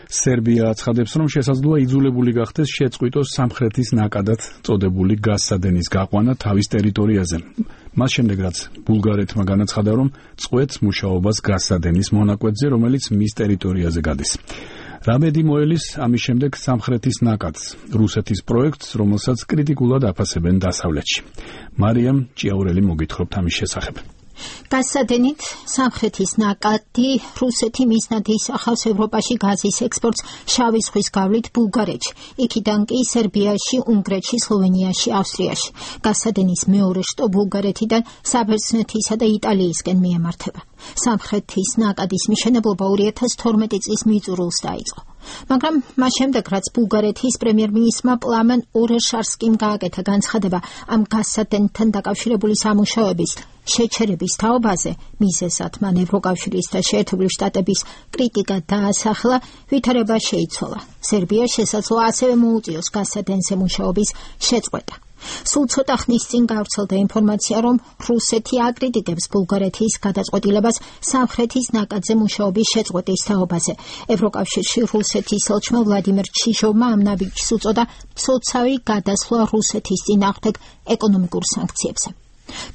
სერბია აცხადებს, რომ შესაძლოა იძულებული გახდეს შეწყვიტოს სამხრეთის ნაკადად წოდებული გაზსადენის გაყვანა თავის ტერიტორიაზე. მას შემდეგ, რაც ბულგარეთმა განაცხადა, რომ წყვეტს მუშაობას გაზსადენის მონაკვეთზე, რომელიც მის ტერიტორიაზე გადის. რამედი მოელის ამის შემდეგ სამხრეთის ნაკადს, რუსეთის პროექტს, რომელსაც კრიტიკულად აფასებენ დასავლეთში. მარიამ ჭიაურელი მოგითხრობთ ამის შესახებ. გაზსადენით სამხრეთის ნაკადი რუსეთი მიზნად ისახავს ევროპაში გაზის ექსპორტს შავი ზღვის გავლით ბულგარეთში, იქიდან კი სერბიაში, უნგრეთში, სლოვენიაში, ავსტრიაში. გაზსადენის მეორე შტო ბულგარეთიდან საბერძნეთისა და იტალიისკენ მიემართება. სამხრეთის ნაკადის მშენებლობა 2012 წლის მიწურულს დაიწყო. მაგრამ მას შემდეგ, რაც ბულგარეთის პრემიერ-მინისტრმა პლამენ ორეშარსკიმ გააკეთა განცხადება ამ გაზსადენთან დაკავშირებული სამუშაოების შეჩერების თაობაზე, მიზეზად მან ევროკავშირის და შეერთებული შტატების კრიტიკა დაასახლა, ვითარება შეიცვალა. სერბია შესაძლოა ასევე მოუწიოს გაზსადენზე მუშაობის შეწყვეტა. სულ ცოტა ხნის წინ გავრცელდა ინფორმაცია, რომ რუსეთი აკრიტიკებს ბულგარეთის გადაწყვეტილებას სამხრეთის ნაკადზე მუშაობის შეწყვეტის თაობაზე. ევროკავშირში რუსეთის ელჩმა ვლადიმერ ჩიჟოვმა ამ ნაბიჯს უწოდა მცოცავი გადასვლა რუსეთის წინააღმდეგ ეკონომიკურ სანქციებზე.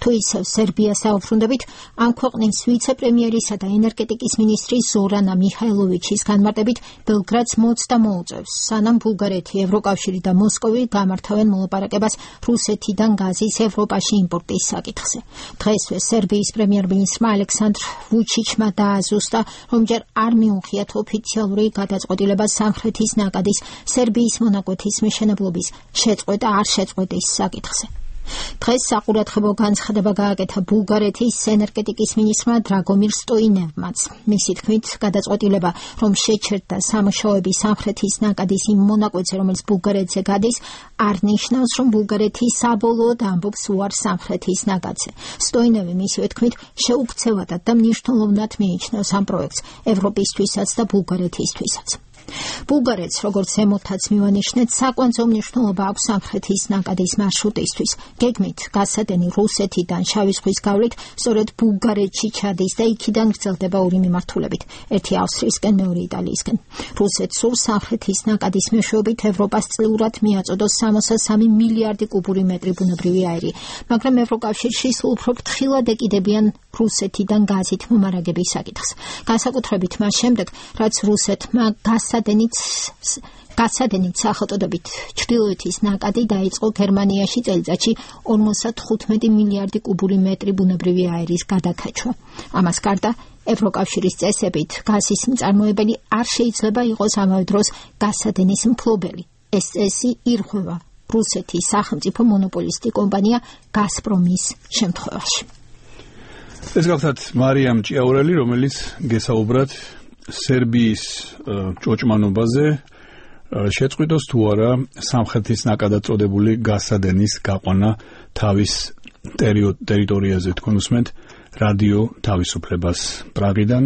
თუ ისევ სერბიას დაუბრუნდებით, ამ ქვეყნის ვიცე-პრემიერისა და ენერგეტიკის მინისტრის ზორანა მიხაილოვიჩის განმარტებით, ბელგრადს მოწდა მოუწევს, სანამ ბულგარეთი, ევროკავშირი და მოსკოვი გამართავენ მოლაპარაკებას რუსეთიდან გაზის ევროპაში იმპორტის საკითხზე. დღესვე სერბიის პრემიერ-მინისტრმა ალექსანდრ ვუჩიჩმა დააზუსტა, რომ ჯერ არ მიუღიათ ოფიციალური გადაწყვეტილება სამხრეთის ნაკადის სერბიის მონაკვეთის მშენებლობის შეწყვეტა არ შეწყვეტის საკითხზე. დღეს საყურადღებო განცხადება გააკეთა ბულგარეთის ენერგეტიკის მინისტრმა დრაგომირ სტოინევმაც. მისი თქმით, გადაწყვეტილება, რომ შეჩერდა სამუშაოები სამხრეთის ნაკადის იმ მონაკვეთზე, რომელიც ბულგარეთზე გადის, არ ნიშნავს, რომ ბულგარეთი საბოლოოდ ამბობს უარს სამხრეთის ნაკადზე. სტოინევი მისივე თქმით, შეუქცევადად და მნიშვნელოვნად მიიჩნევს ამ პროექტს ევროპისთვისაც და ბულგარეთისთვისაც. ბულგარეთს, როგორც ზემოთაც მივანიშნეთ, საკვანძო მნიშვნელობა აქვს სამხრეთის ნაკადის მარშრუტისთვის. გეგმით გაზსადენი რუსეთიდან შავი ზღვის გავლით სწორედ ბულგარეთში ჩადის და იქიდან გრძელდება ორი მიმართულებით, ერთი ავსტრიისკენ, მეორე იტალიისკენ. რუსეთს სურს სამხრეთის ნაკადის მეშვეობით ევროპას წლიურად მიაწოდოს 63 მილიარდი კუბური მეტრი ბუნებრივი აირი, მაგრამ ევროკავშირში სულ უფრო ფრთხილად ეკიდებიან რუსეთიდან გაზით მომარაგების საკითხს. განსაკუთრებით მას შემდეგ, რაც რუსეთმა გაზსადენით სახელწოდებით ჩრდილოეთის ნაკადი დაიწყო გერმანიაში წელიწადში 55 მილიარდი კუბური მეტრი ბუნებრივი აირის გადაქაჩვა. ამას გარდა ევროკავშირის წესებით გაზის მწარმოებელი არ შეიძლება იყოს ამავე დროს გაზსადენის მფლობელი. ეს წესი ირღვევა რუსეთის სახელმწიფო მონოპოლისტი კომპანია გაზპრომის შემთხვევაში. ეს გახლავთ მარიამ ჭიაურელი, რომელიც გესაუბრათ სერბიის ჭოჭმანობაზე შეწყვიტოს თუ არა სამხრეთის ნაკადად წოდებული გაზსადენის გაყვანა თავის ტერიტორიაზე. თქვენ უსმენთ რადიო თავისუფლებას პრაღიდან.